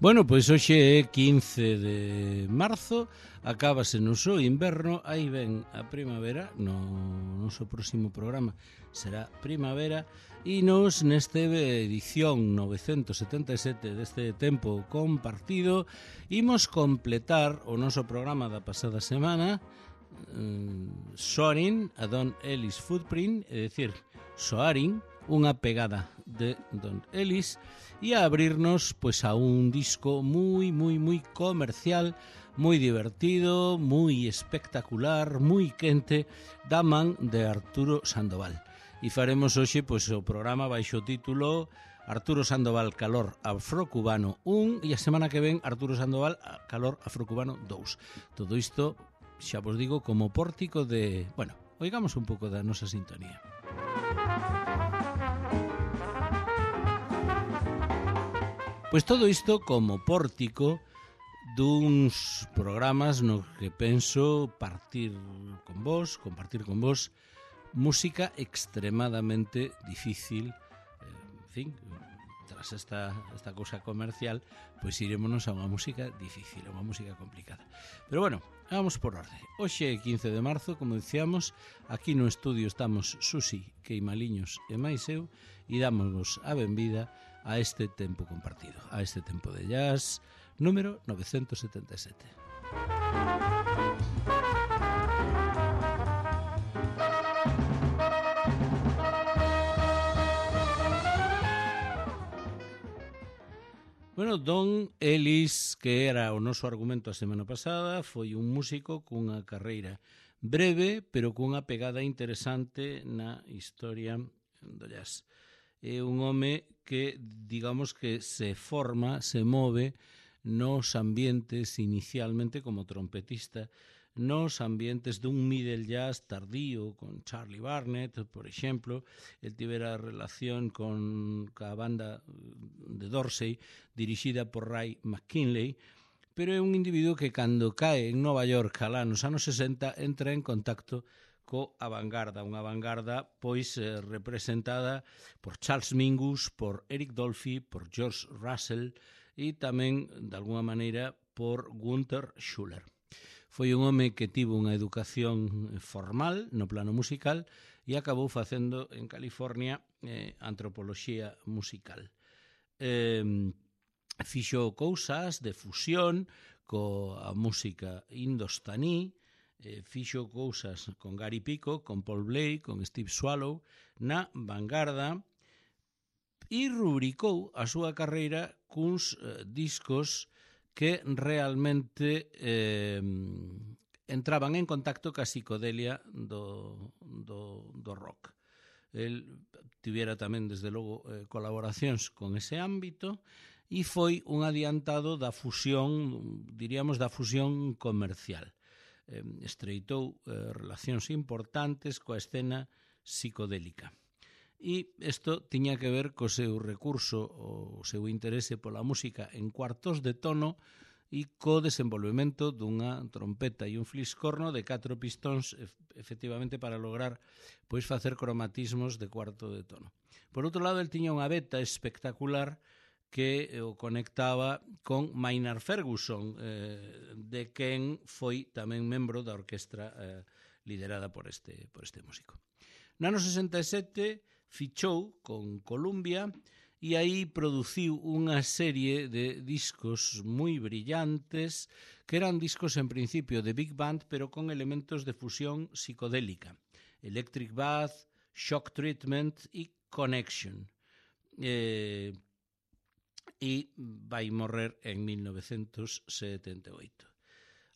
Bueno, pois hoxe é 15 de marzo, acábase no so inverno, aí ven a primavera, no noso próximo programa será primavera, e nos neste edición 977 deste tempo compartido imos completar o noso programa da pasada semana Soaring a Don Ellis Footprint, é dicir, Soaring, unha pegada de Don Ellis, e a abrirnos pois a un disco moi comercial, moi divertido, moi espectacular, moi quente, da man de Arturo Sandoval. E faremos hoxe pois o programa baixo o título Arturo Sandoval Calor Afrocubano 1 e a semana que ven Arturo Sandoval Calor Afrocubano 2. Todo isto, xa vos digo, como pórtico de... Bueno, oigamos un pouco da nosa sintonía. Pois todo isto como pórtico duns programas no que penso compartir con vos música extremadamente difícil, en fin, tras esta cousa comercial, pois irémonos a unha música difícil, a unha música complicada. Pero bueno, vamos por orde. Hoxe é 15 de marzo, como dicíamos, aquí no estudio estamos Susi, Queimaliños e máis eu, e dámosvos a benvida a este tempo compartido, a este tempo de jazz número 977. Bueno, Don Ellis, que era o noso argumento a semana pasada, foi un músico cunha carreira breve, pero cunha pegada interesante na historia do jazz. É un home que, digamos que se forma, se move nos ambientes inicialmente como trompetista, nos ambientes dun middle jazz tardío con Charlie Barnett, por exemplo. El tivera relación con a banda de Dorsey dirixida por Ray McKinley, pero é un individuo que cando cae en Nova York alá nos anos 60 entra en contacto co avangarda, unha avangarda pois representada por Charles Mingus, por Eric Dolphy, por George Russell e tamén, de alguma maneira, por Gunther Schuller. Foi un home que tivo unha educación formal no plano musical e acabou facendo en California antropoloxía musical. Fixo cousas de fusión coa música indostaní, fixo cousas con Gary Peacock, con Paul Blake, con Steve Swallow na vanguarda e rubricou a súa carreira cuns discos que realmente entraban en contacto ca psicodelia do rock. El tivera tamén, desde logo, colaboracións con ese ámbito e foi un adiantado da fusión, diríamos, da fusión comercial. Estreitou relacións importantes coa escena psicodélica. E isto tiña que ver co seu recurso, o seu interese pola música en cuartos de tono e co desenvolvemento dunha trompeta e un fliscorno de 4 pistóns, efectivamente, para lograr pois facer cromatismos de cuarto de tono. Por outro lado, el tiña unha beta espectacular que o conectaba con Maynard Ferguson, de quen foi tamén membro da orquestra liderada por este músico. No ano 67 fichou con Columbia e aí produciu unha serie de discos moi brillantes que eran discos en principio de big band pero con elementos de fusión psicodélica. Electric Bath, Shock Treatment e Connection. E vai morrer en 1978.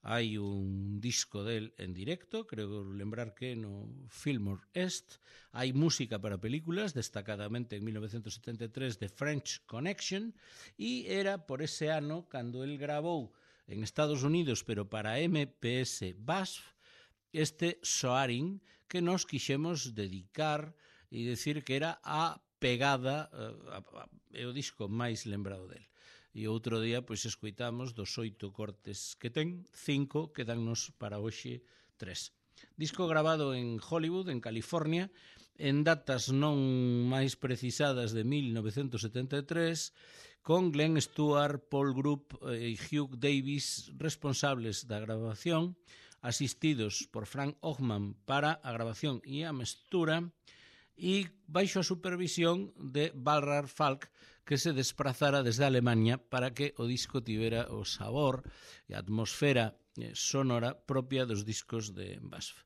Hai un disco del en directo, creo lembrar que no Fillmore East. Hai música para películas, destacadamente en 1973 de French Connection, e era por ese ano cando el grabou en Estados Unidos, pero para MPS BASF, este Soaring, que nos quixemos dedicar e decir que era a pegada, é o disco máis lembrado del. E outro día, pois, escoitamos dos 8 cortes que ten, 5 quedannos para hoxe 3. Disco grabado en Hollywood, en California, en datas non máis precisadas de 1973, con Glenn Stewart, Paul Group e Hugh Davis responsables da grabación, asistidos por Frank Ockman para a grabación e a mestura, e baixo a supervisión de Balrar Falk, que se desprazara desde Alemania para que o disco tivera o sabor e a atmosfera sonora propia dos discos de BASF.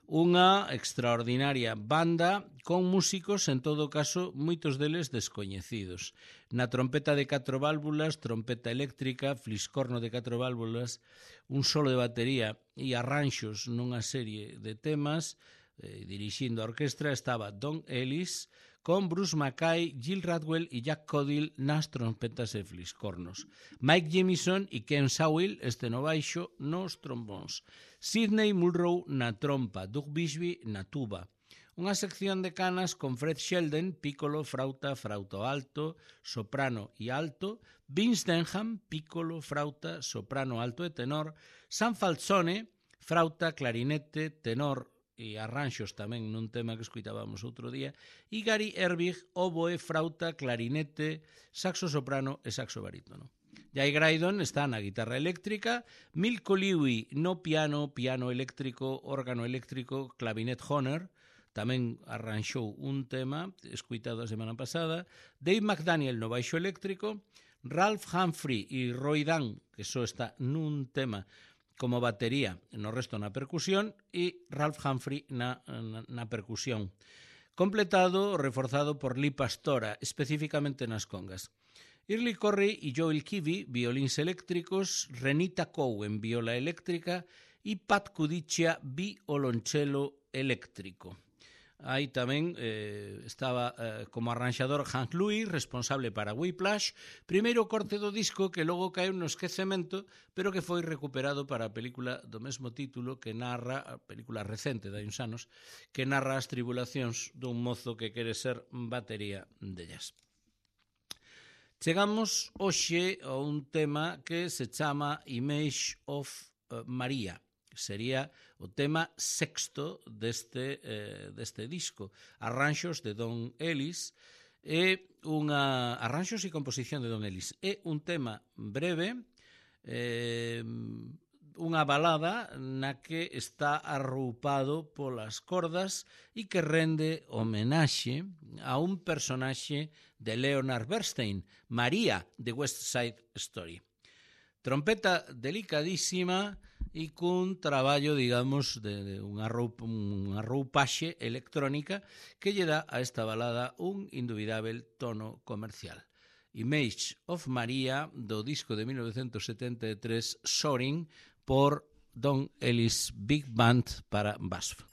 Unha extraordinaria banda con músicos, en todo caso, moitos deles descoñecidos. Na trompeta de 4 válvulas, trompeta eléctrica, fliscorno de 4 válvulas, un solo de batería e arranxos nunha serie de temas. Dirixindo a orquestra estaba Don Ellis, con Bruce Mackay, Gil Radwell e Jack Codill nas trompetas e fliscornos. Mike Jamison e Ken Sawhill, este no baixo, nos trombóns. Sidney Mulrow na trompa, Doug Bixby na tuba. Unha sección de canas con Fred Sheldon, piccolo, frauta, frauto alto, soprano e alto, Vince Denham, piccolo, frauta, soprano alto e tenor, Sam Falzone, frauta, clarinete, tenor e arranxos tamén nun tema que escuitábamos outro día, e Gary Erbig, oboe, frauta, clarinete, saxo soprano e saxo barítono. Jay Graydon está na guitarra eléctrica, Milko Lewy no piano, piano eléctrico, órgano eléctrico, clavinet Hohner, tamén arranxou un tema escuitado a semana pasada, Dave McDaniel no baixo eléctrico, Ralph Humphrey e Roy Dunn, que só está nun tema como batería, no resto na percusión, e Ralph Humphrey na percusión. Completado, reforzado por Lee Pastora, especificamente nas congas. Early Corry e Joel Kivy, violíns eléctricos, Renita Cowen, viola eléctrica, e Pat Cudiccia, violonchelo eléctrico. Aí tamén estaba como arranxador Hank Louis, responsable para Whiplash, primeiro corte do disco que logo caeu no esquecemento, pero que foi recuperado para a película do mesmo título, que narra, a película recente de hai uns anos, que narra as tribulacións dun mozo que quere ser batería de jazz. Chegamos hoxe a un tema que se chama Image of Maria. Sería o tema sexto deste disco. Arranxos de Don Ellis, arranxos e composición de Don Ellis. É un tema breve, unha balada na que está arroupado polas cordas e que rende homenaxe a un personaxe de Leonard Bernstein, María, de West Side Story. Trompeta delicadísima e cun traballo, digamos, de unha roupaxe electrónica que lle dá a esta balada un indubidável tono comercial. Image of Maria, do disco de 1973, Soaring, por Don Ellis Big Band para BASF.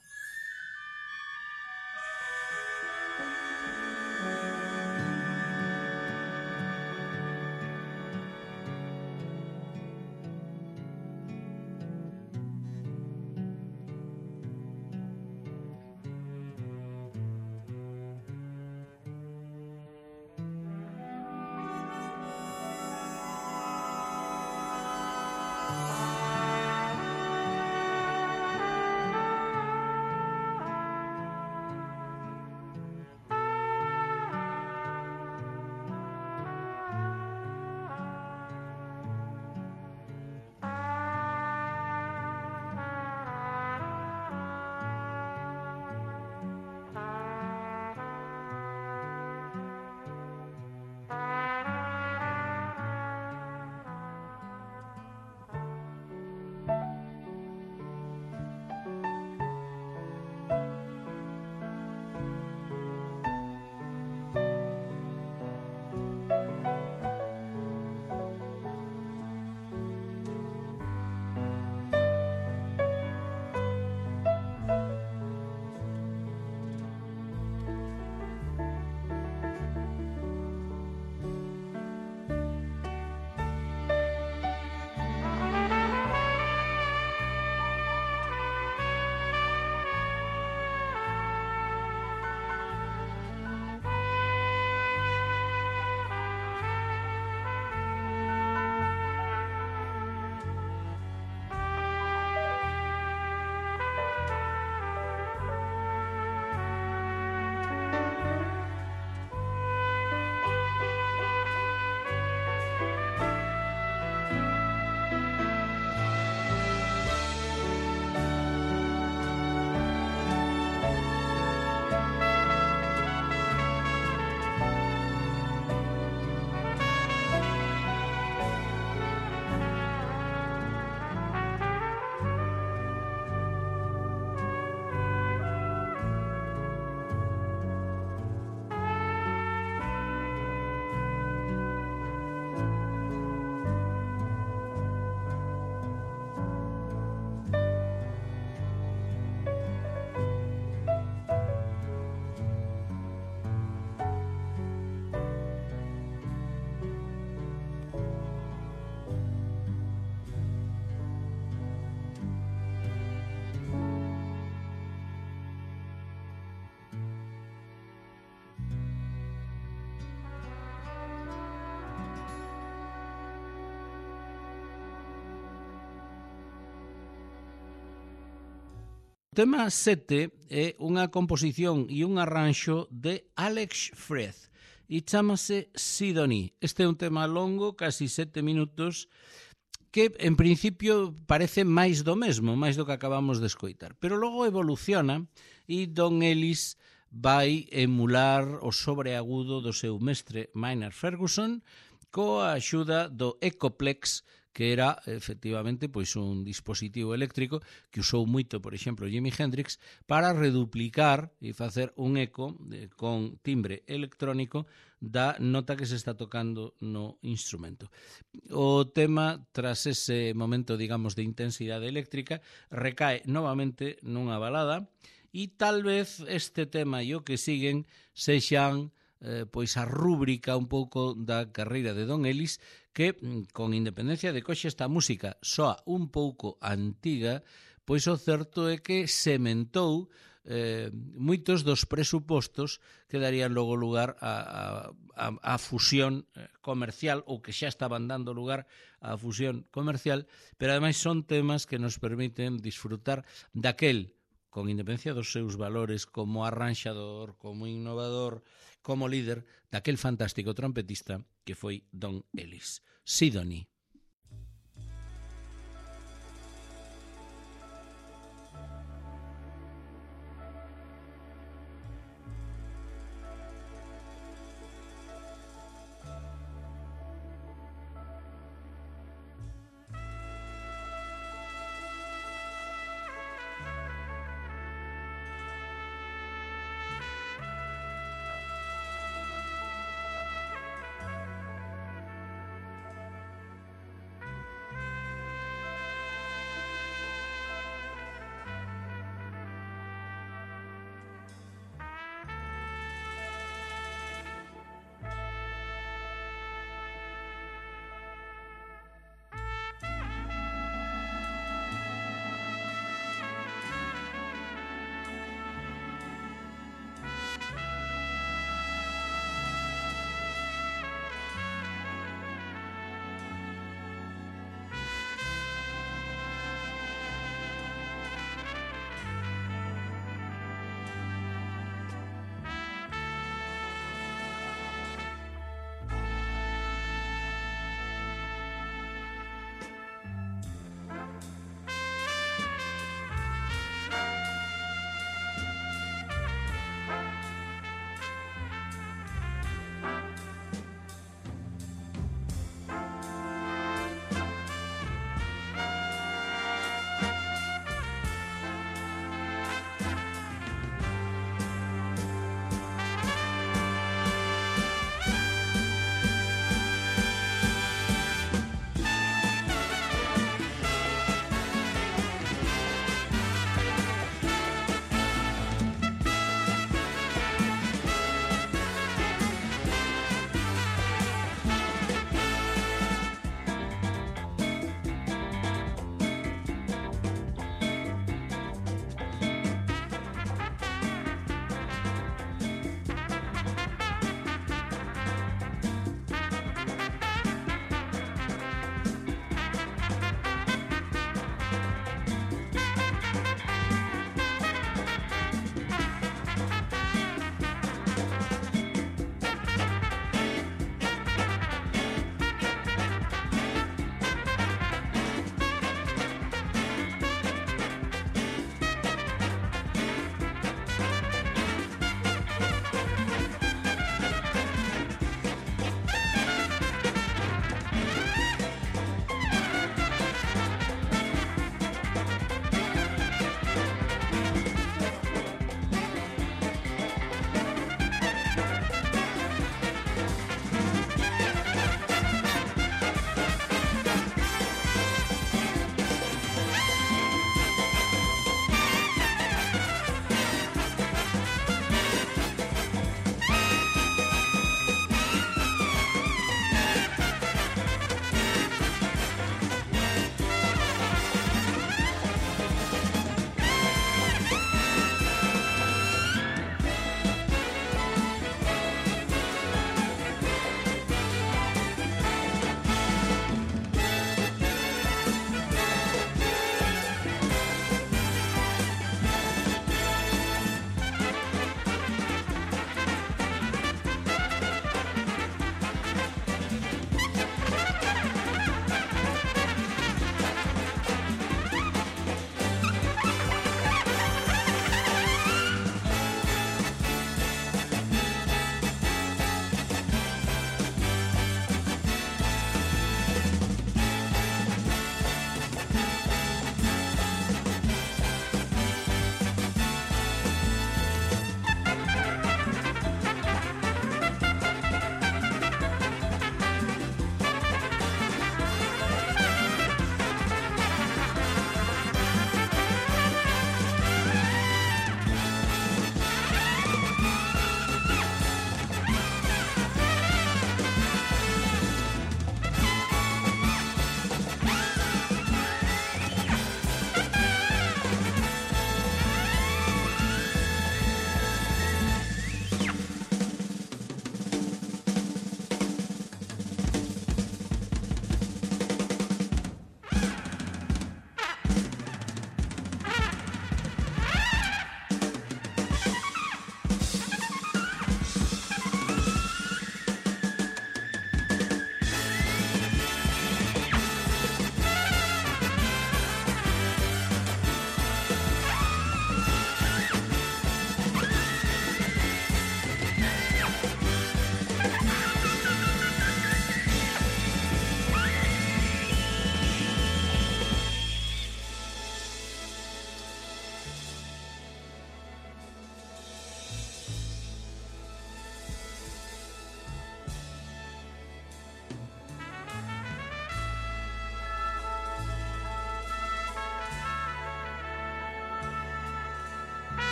O tema 7 é unha composición e un arranxo de Alex Freed e chamase Sidonie. Este é un tema longo, casi 7 minutos, que en principio parece máis do mesmo, máis do que acabamos de escoitar. Pero logo evoluciona e Don Ellis vai emular o sobreagudo do seu mestre Maynard Ferguson coa axuda do Echoplex, que era efectivamente pois un dispositivo eléctrico que usou moito, por exemplo, Jimi Hendrix para reduplicar e facer un eco con timbre electrónico da nota que se está tocando no instrumento. O tema, tras ese momento, digamos, de intensidade eléctrica, recae novamente nunha balada e tal vez este tema e o que siguen sexan pois a rúbrica un pouco da carreira de Don Ellis, que, con independencia de que hoxe esta música soa un pouco antiga, pois o certo é que sementou moitos dos presupostos que darían logo lugar a fusión comercial, ou que xa estaban dando lugar á fusión comercial, pero ademais son temas que nos permiten disfrutar daquel, con independencia dos seus valores como arranxador, como innovador, como líder, daquel fantástico trompetista que foi Don Ellis. Sidonie.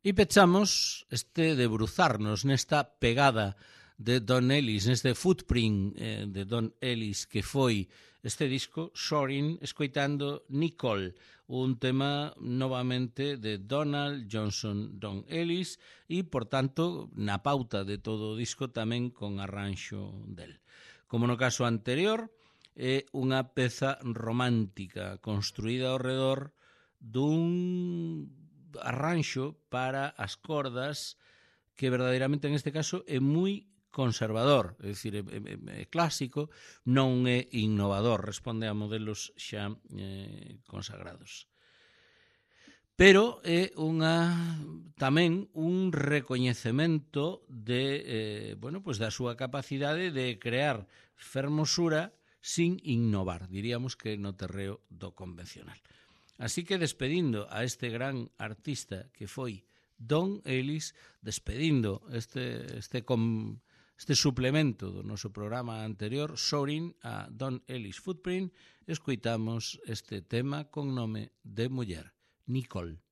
E pechamos este debruzarnos nesta pegada de Don Ellis, neste footprint de Don Ellis que foi este disco, Soaring, escoitando Nicole, un tema novamente de Donald Johnson, Don Ellis, e, por tanto, na pauta de todo o disco tamén con arranxo del. Como no caso anterior, é unha peza romántica construída ao redor dun arranxo para as cordas que verdadeiramente en este caso é moi conservador, é dicir, é clásico, non é innovador, responde a modelos xa consagrados. Pero é tamén un recoñecemento de, pues da súa capacidade de crear fermosura sin innovar, diríamos que no terreo do convencional. Así que despedindo a este gran artista que foi Don Ellis, despedindo este suplemento do noso programa anterior, Soaring, a Don Ellis Footprint, escoitamos este tema con nome de muller, Nicole.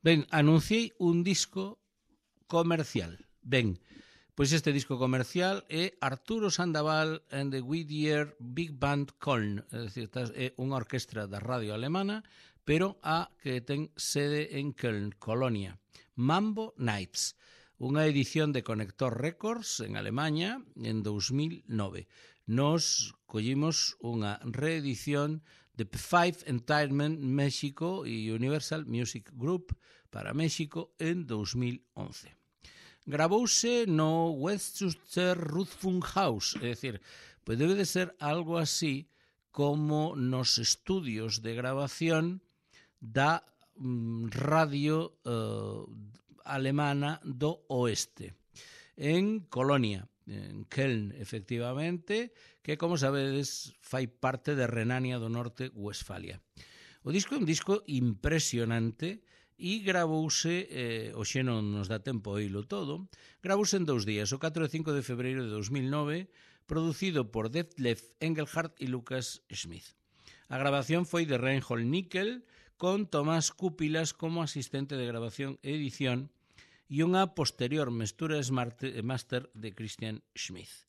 Ben, anunciei un disco comercial. Ben, pois este disco comercial é Arturo Sandoval and the Whittier Big Band Köln, é dicir, é unha orquestra da radio alemana, pero a que ten sede en Köln, Colonia. Mambo Nights, unha edición de Connector Records en Alemanha en 2009. Nos collimos unha reedición de P5 Entertainment México e Universal Music Group para México en 2011. Gravouse no Westchester Rundfunkhaus, é dicir, pois debe de ser algo así como nos estudios de grabación da radio alemana do oeste, en Colonia, en Köln, efectivamente, que, como sabedes, fai parte de Renania do Norte-Westfalia. O disco é un disco impresionante e gravouse, hoxe non nos dá tempo a oílo todo, gravouse en 2 días, o 4 e 5 de febreiro de 2009, producido por Detlef Engelhardt e Lucas Schmidt. A grabación foi de Reinhold Nickel, con Tomás Cúpilas como asistente de grabación e edición e unha posterior mestura master de Christian Schmidt.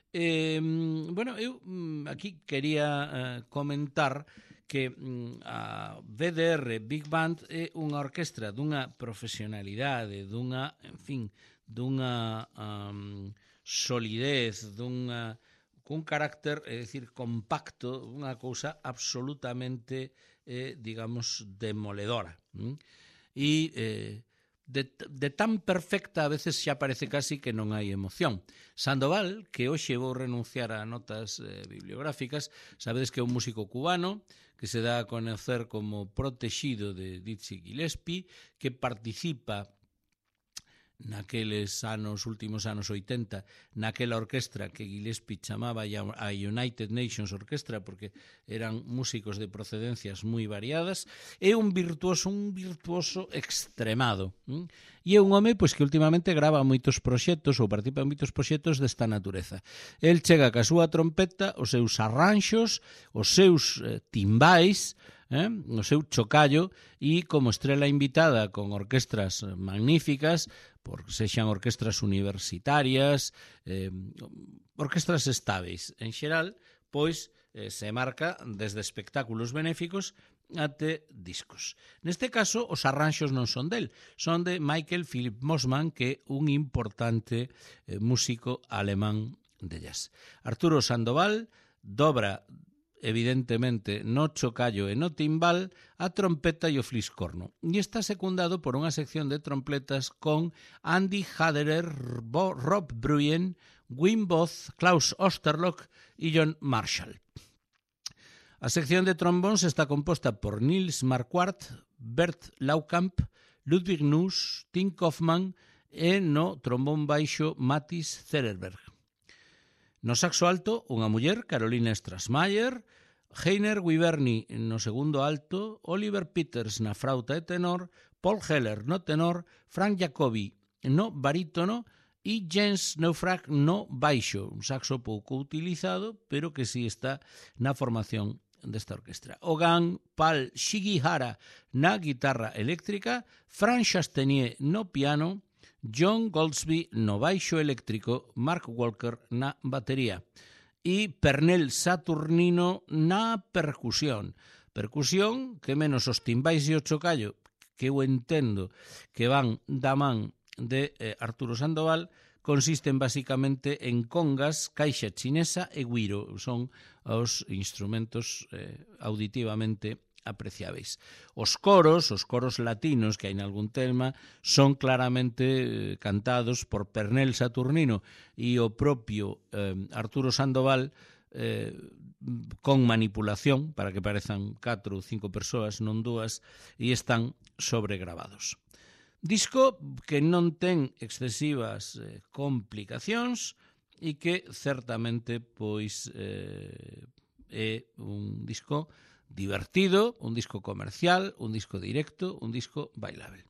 Bueno, eu aquí quería comentar que a VDR Big Band é unha orquestra dunha profesionalidade, dunha, en fin, dunha solidez, cun carácter, é dicir, compacto, unha cousa absolutamente, digamos, demoledora. E de tan perfecta a veces xa parece casi que non hai emoción. Sandoval, que hoxe vou renunciar a notas bibliográficas, sabedes que é un músico cubano que se dá a conocer como protegido de Dizzy Gillespie, que participa naqueles últimos anos 80, naquela orquestra que Gillespie chamaba a United Nations Orchestra, porque eran músicos de procedencias moi variadas. É un virtuoso extremado. E é un home pois que últimamente grava moitos proxectos ou participa en moitos proxectos desta natureza. El chega ca súa trompeta, os seus arranxos, os seus timbais, o seu chocallo, e como estrela invitada con orquestras magníficas, sexan orquestras universitarias, orquestras estáveis. En xeral, pois, se marca desde espectáculos benéficos até discos. Neste caso, os arranxos non son del, son de Michael Philip Mossman, que é un importante músico alemán de jazz. Arturo Sandoval dobra evidentemente no chocallo e no timbal, a trompeta e o fliscorno. E está secundado por unha sección de trompetas con Andy Haderer, Rob Bruyen, Wim Both, Klaus Osterlock e John Marshall. A sección de trombóns está composta por Nils Marquardt, Bert Laukamp, Ludwig Nuss, Tim Kaufmann e no trombón baixo Mathis Zererberg. No saxo alto, unha muller, Carolina Strassmayer, Heiner Wiberni no segundo alto, Oliver Peters na frauta e tenor, Paul Heller no tenor, Frank Jacobi no barítono e Jens Neufrag no baixo, un saxo pouco utilizado, pero que si está na formación desta orquestra. Ogan Pal Shigihara na guitarra eléctrica, Frank Chastenier no piano, John Goldsby no baixo eléctrico, Mark Walker na batería e Pernell Saturnino na percusión. Percusión que menos os timbais e o chocallo, que eu entendo que van da man de Arturo Sandoval, consisten basicamente en congas, caixa chinesa e güiro. Son os instrumentos auditivamente apreciáveis. Os coros latinos que hai nalgún tema son claramente cantados por Pernell Saturnino e o propio Arturo Sandoval con manipulación para que parezan 4 ou 5 persoas, non 2, e están sobregravados. Disco que non ten excesivas complicacións e que certamente pois é un disco divertido, un disco comercial, un disco directo, un disco bailable.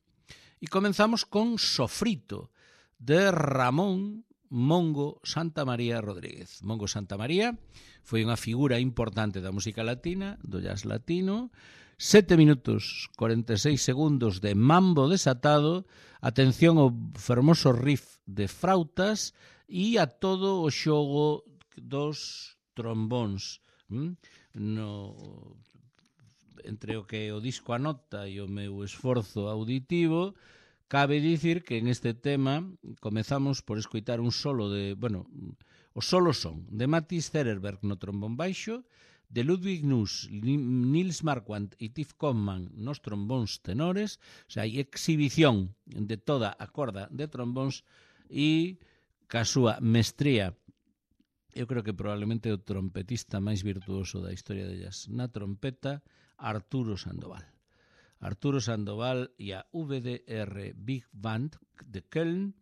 E comenzamos con Sofrito, de Ramón Mongo Santamaría Rodríguez. Mongo Santamaría foi unha figura importante da música latina, do jazz latino, 7 minutos 46 segundos de mambo desatado, atención ao fermoso riff de frautas e a todo o xogo dos trombóns. Entre o que o disco anota e o meu esforzo auditivo, cabe dicir que en este tema comezamos por escoitar un solo os solos son de Mathis Zererberg no trombón baixo, de Ludwig Nuss, Nils Marquardt e Tiff Conman nos trombóns tenores, o sea, hai exhibición de toda a corda de trombóns e ca súa mestría, eu creo que probablemente o trompetista máis virtuoso da historia de jazz na trompeta, Arturo Sandoval. Arturo Sandoval e a VDR Big Band de Köln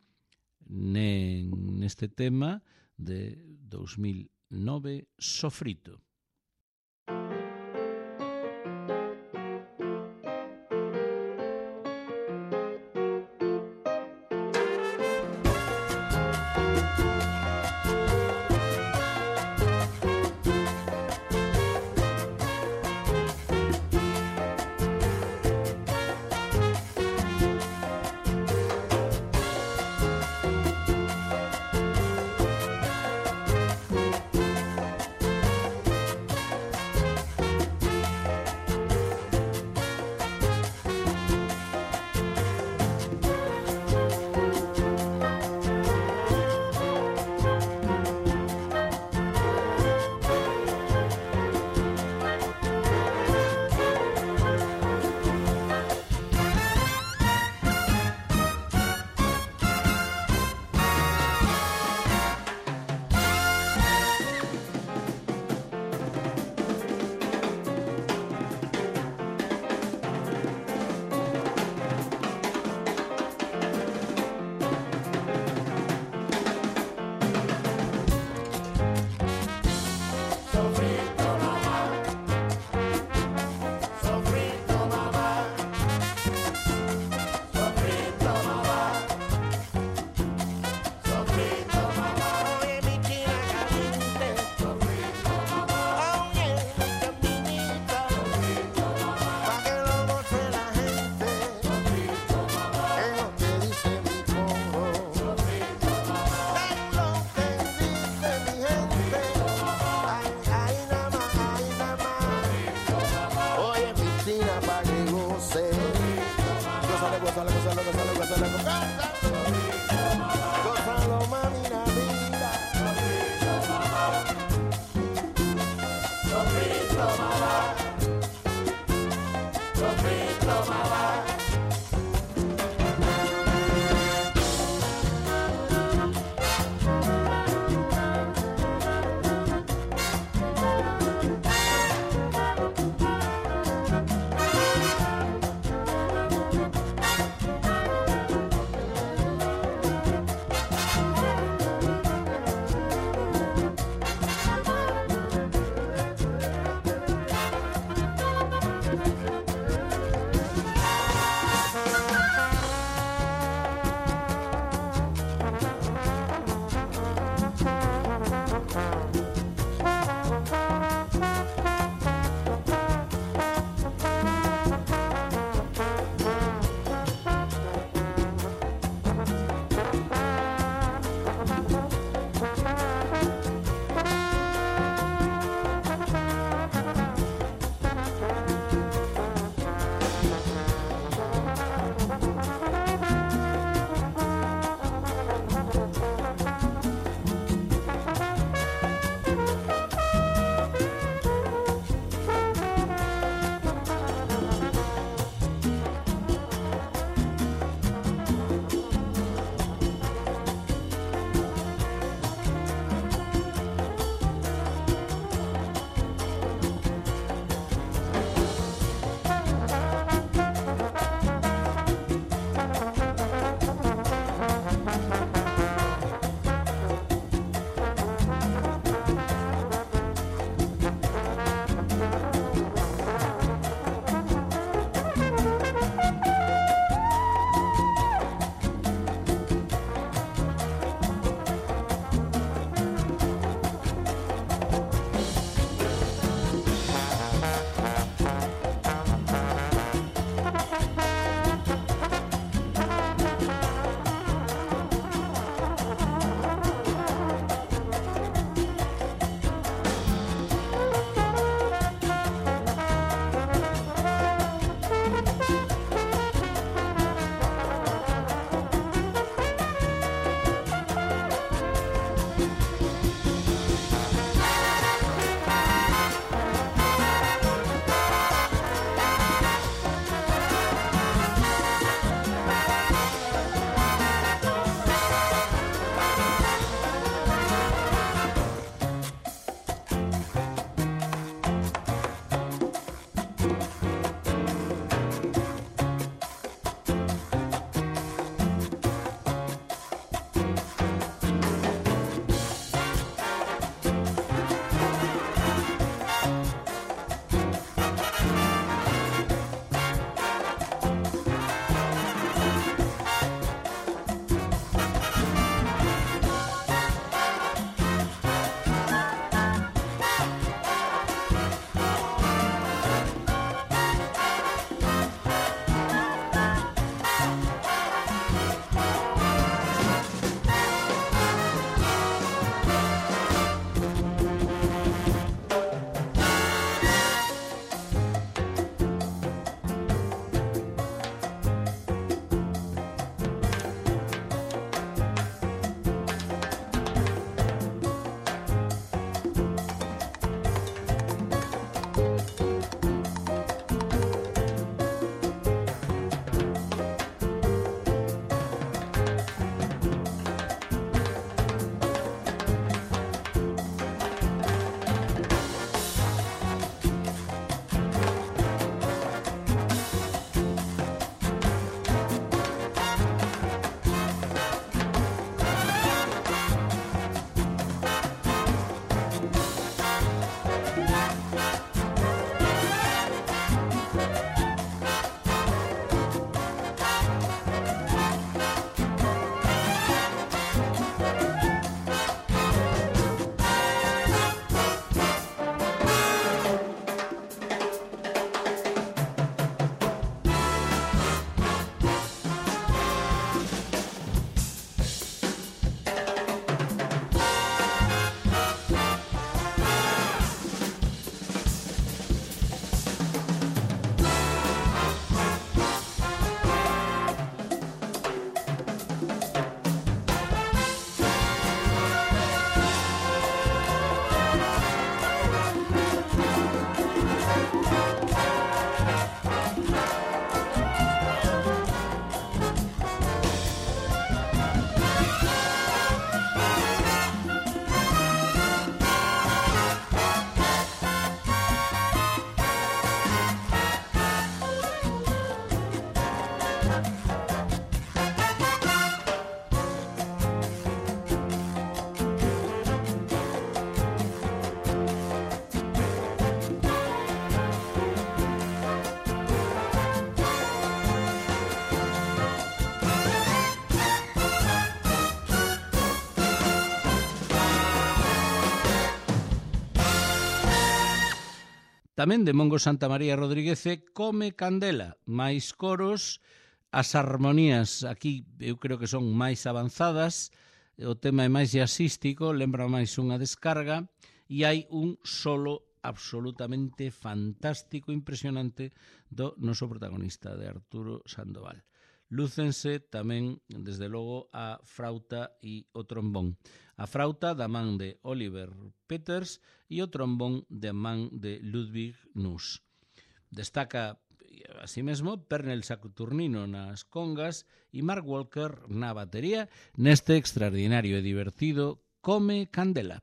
neste tema de 2009, Sofrito. Tamén de Mongo Santamaría Rodríguez Come Candela, máis coros, as armonías aquí eu creo que son máis avanzadas, o tema é máis jazzístico, lembra máis unha descarga, e hai un solo absolutamente fantástico, impresionante do noso protagonista, de Arturo Sandoval. Lúcense tamén, desde logo, a frauta e o trombón. A frauta da man de Oliver Peters e o trombón da man de Ludwig Nuss. Destaca, así mesmo, Pernell Saturnino nas congas e Mark Walker na batería neste extraordinario e divertido Come Candela.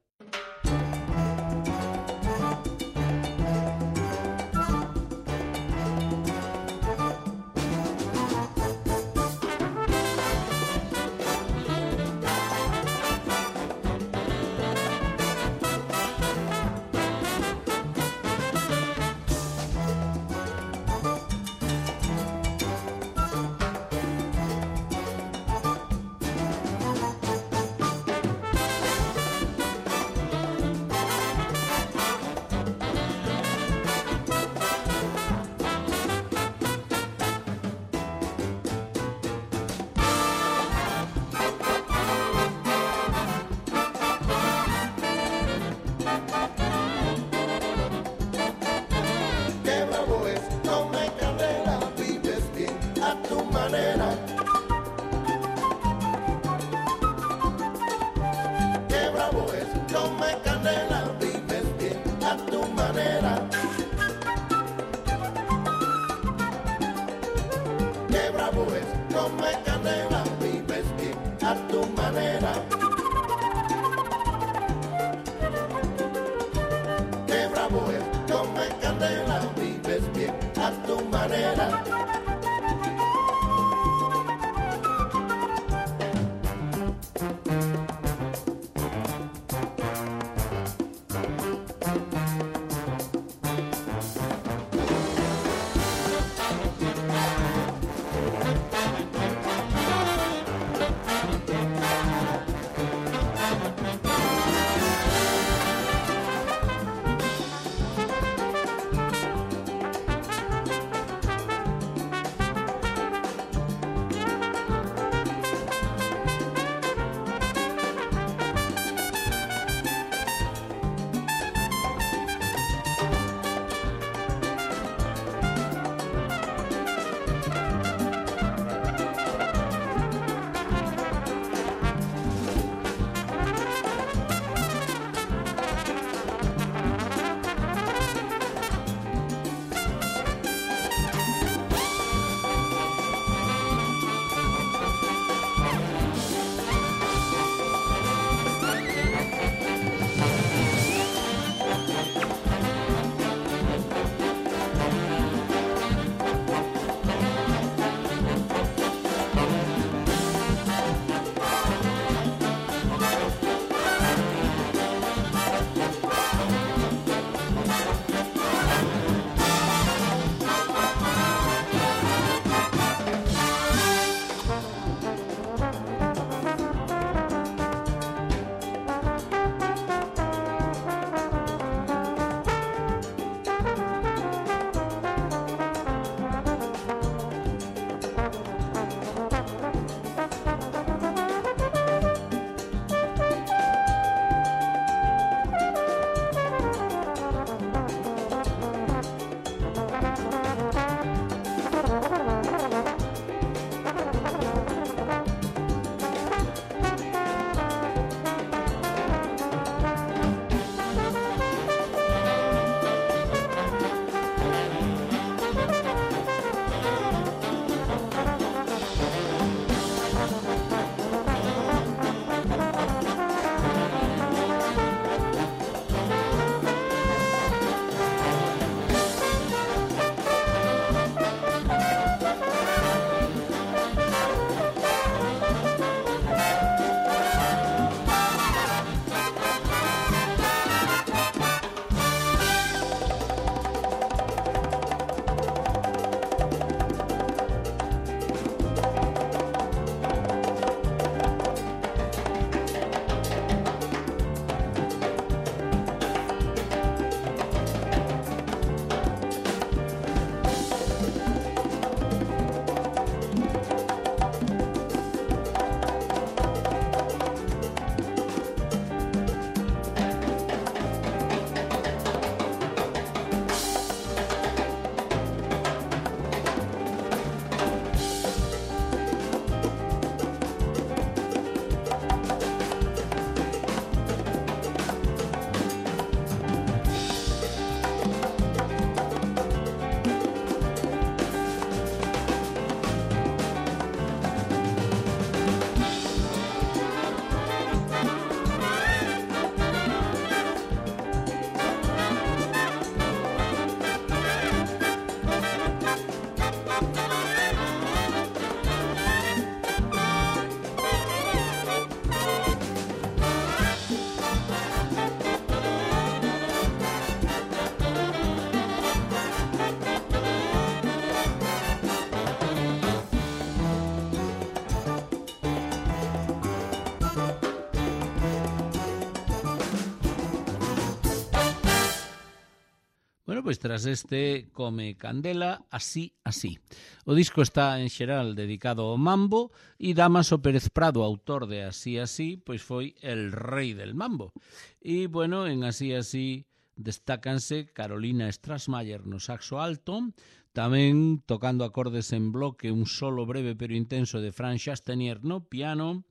Bueno, pois tras este Come Candela, así, así. O disco está en xeral dedicado ao mambo e Dámaso Pérez Prado, autor de Así, así, pois foi el rei del mambo. E, bueno, en Así, así destácanse Carolina Strassmayer no saxo alto, tamén tocando acordes en bloque un solo breve pero intenso de Franz Chastenier no piano,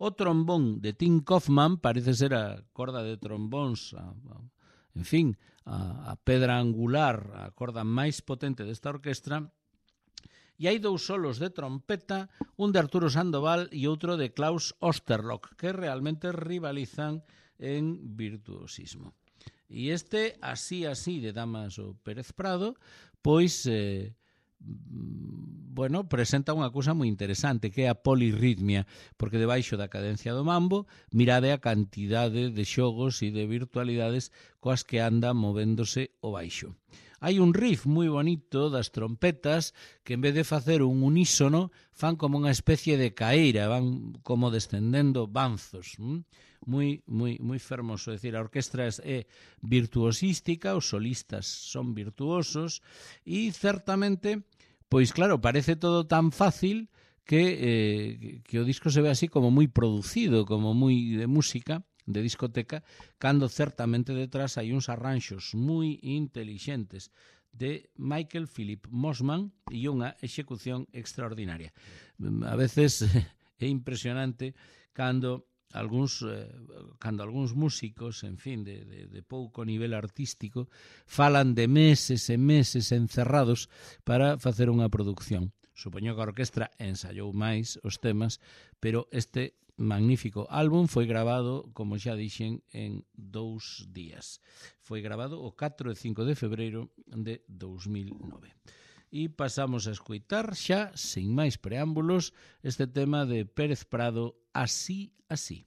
o trombón de Tim Kaufman, parece ser a corda de trombóns, en fin, a pedra angular, a corda máis potente desta orquestra, e hai dous solos de trompeta, un de Arturo Sandoval e outro de Klaus Osterlock, que realmente rivalizan en virtuosismo. E este Así, así de Dámaso Pérez Prado, pois, bueno, presenta unha cousa moi interesante, que é a polirritmia, porque debaixo da cadencia do mambo, mirade a cantidade de xogos e de virtualidades coas que anda movéndose o baixo. Hai un riff moi bonito das trompetas que en vez de facer un unísono fan como unha especie de caeira, van como descendendo banzos, moi fermoso. É dicir, a orquestra é virtuosística, os solistas son virtuosos e certamente, pois claro, parece todo tan fácil que o disco se ve así como moi producido, como moi de música, de discoteca, cando certamente detrás hai uns arranxos moi intelixentes de Michael Philip Mosman e unha execución extraordinaria. A veces é impresionante cando algúns músicos, en fin, de pouco nivel artístico, falan de meses e meses encerrados para facer unha produción. Supoño que a orquestra ensaiou máis os temas, pero este magnífico álbum foi grabado, como xa dixen, en 2 días. Foi grabado o 4 e 5 de febreiro de 2009. E pasamos a escoitar xa, sin máis preámbulos, este tema de Pérez Prado, Así, así.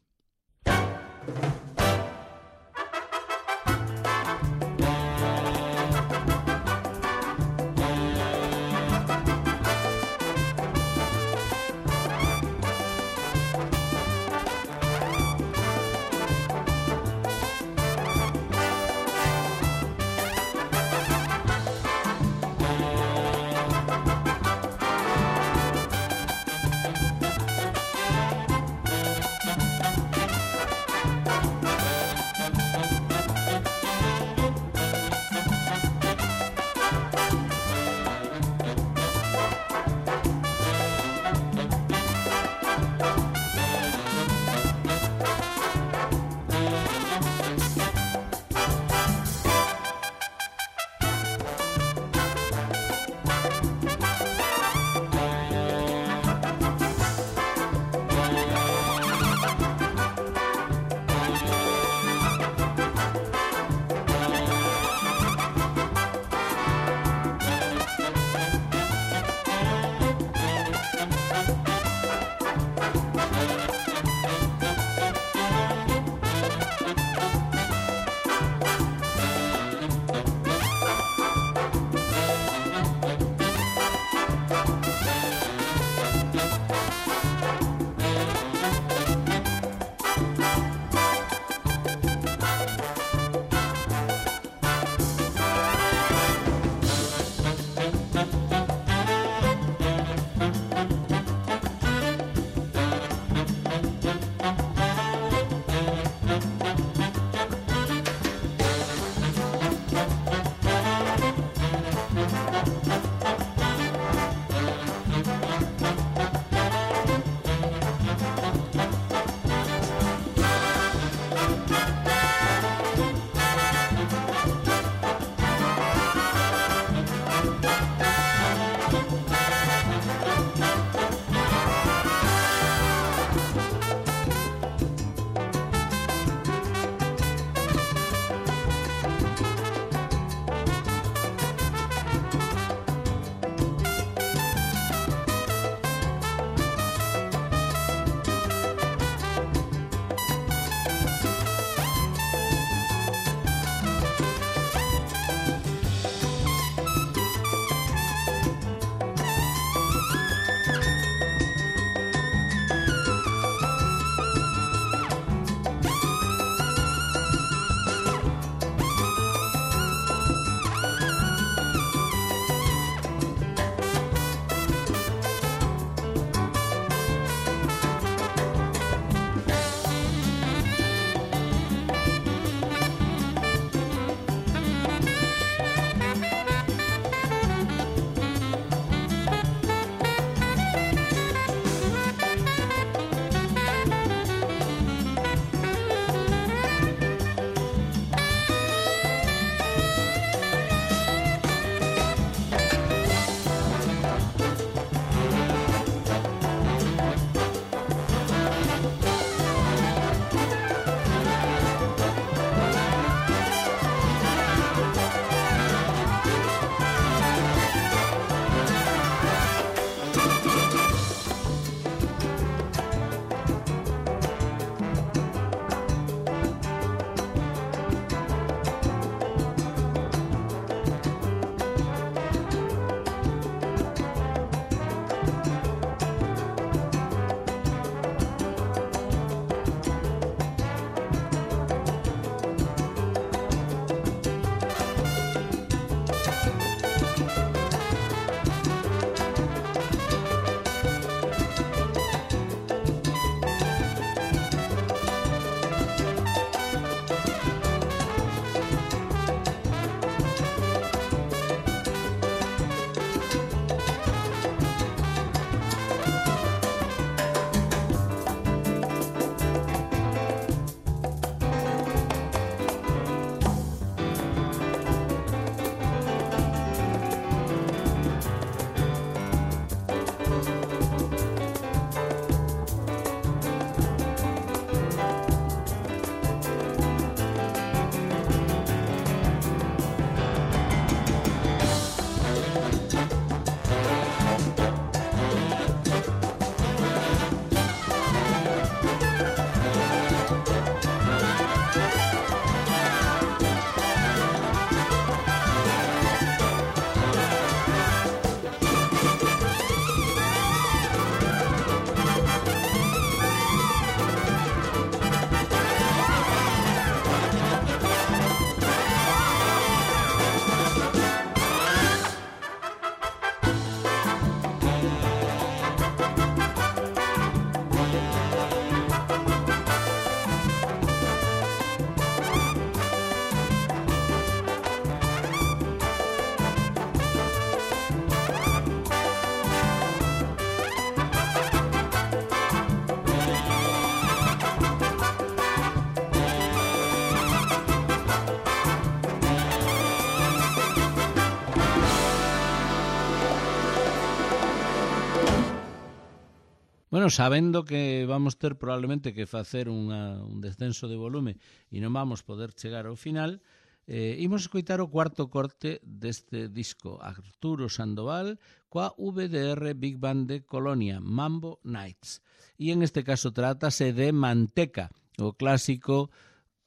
bueno, sabendo que vamos ter probablemente que facer un descenso de volume e non vamos poder chegar ao final, imos escoitar o cuarto corte deste disco, Arturo Sandoval, coa VDR Big Band de Colonia, Mambo Nights. E en este caso trátase de Manteca, o clásico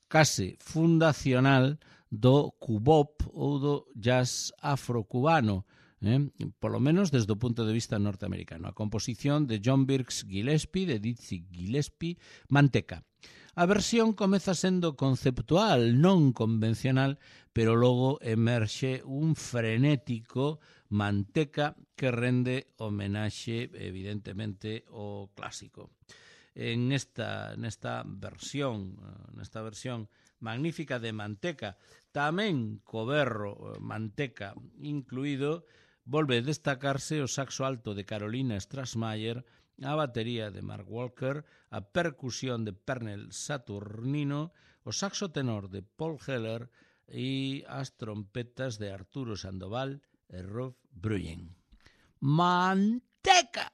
case fundacional do cubop ou do jazz afrocubano, polo menos desde o punto de vista norteamericano. A composición de John Birks Gillespie, de Dizzy Gillespie, Manteca. A versión comeza sendo conceptual, non convencional, pero logo emerxe un frenético Manteca que rende homenaxe, evidentemente, ao clásico. En esta versión magnífica de Manteca, tamén co berro Manteca incluído, volve destacarse o saxo alto de Carolina Strassmayer, a batería de Mark Walker, a percusión de Pernell Saturnino, o saxo tenor de Paul Heller e as trompetas de Arturo Sandoval e Rob Bruyen. Manteca!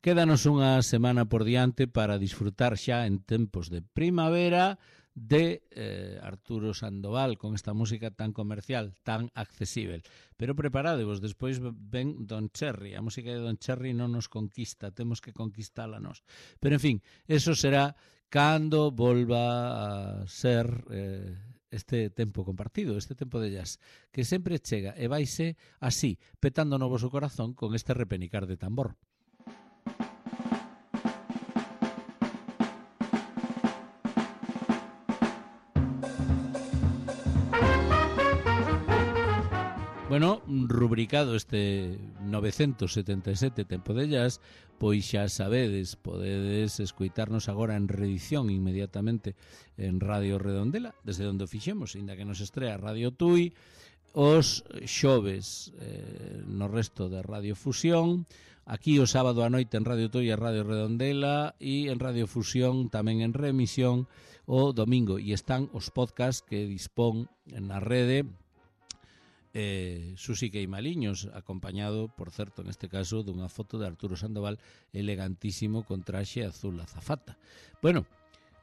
quédanos unha semana por diante para disfrutar xa en tempos de primavera de Arturo Sandoval con esta música tan comercial, tan accesible. Pero preparadevos, despois ven Don Cherry. A música de Don Cherry non nos conquista, temos que conquistala nós. Pero en fin, eso será cando volva a ser este tempo compartido, este tempo de jazz, que sempre chega e vaise así, petando no voso corazón con este repenicar de tambor. Bueno, rubricado este 977 tempo de jazz, pois xa sabedes, podedes escoitarnos agora en reedición inmediatamente en Radio Redondela, desde onde o fixemos, inda que nos estrea Radio Tui, os xoves no resto de Radio Fusión, aquí o sábado a noite en Radio Tui e Radio Redondela, e en Radio Fusión tamén en remisión o domingo, e están os podcasts que dispón na rede Susi Queimaliños, acompañado, por certo, neste caso, dunha foto de Arturo Sandoval elegantísimo con traxe azul azafata. Bueno,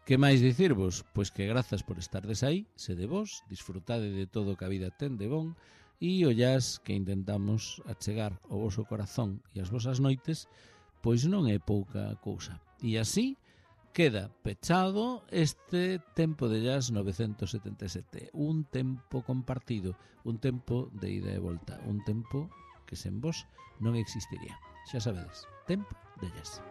que máis dicirvos? Pois que grazas por estardes aí, sede vos, disfrutade de todo que a vida ten de bon, e o jazz que intentamos achegar ao voso corazón e as vosas noites, pois non é pouca cousa. E así queda pechado este tempo de jazz 977, un tempo compartido, un tempo de ida e volta, un tempo que sen vos non existiría. Xa sabedes, tempo de jazz.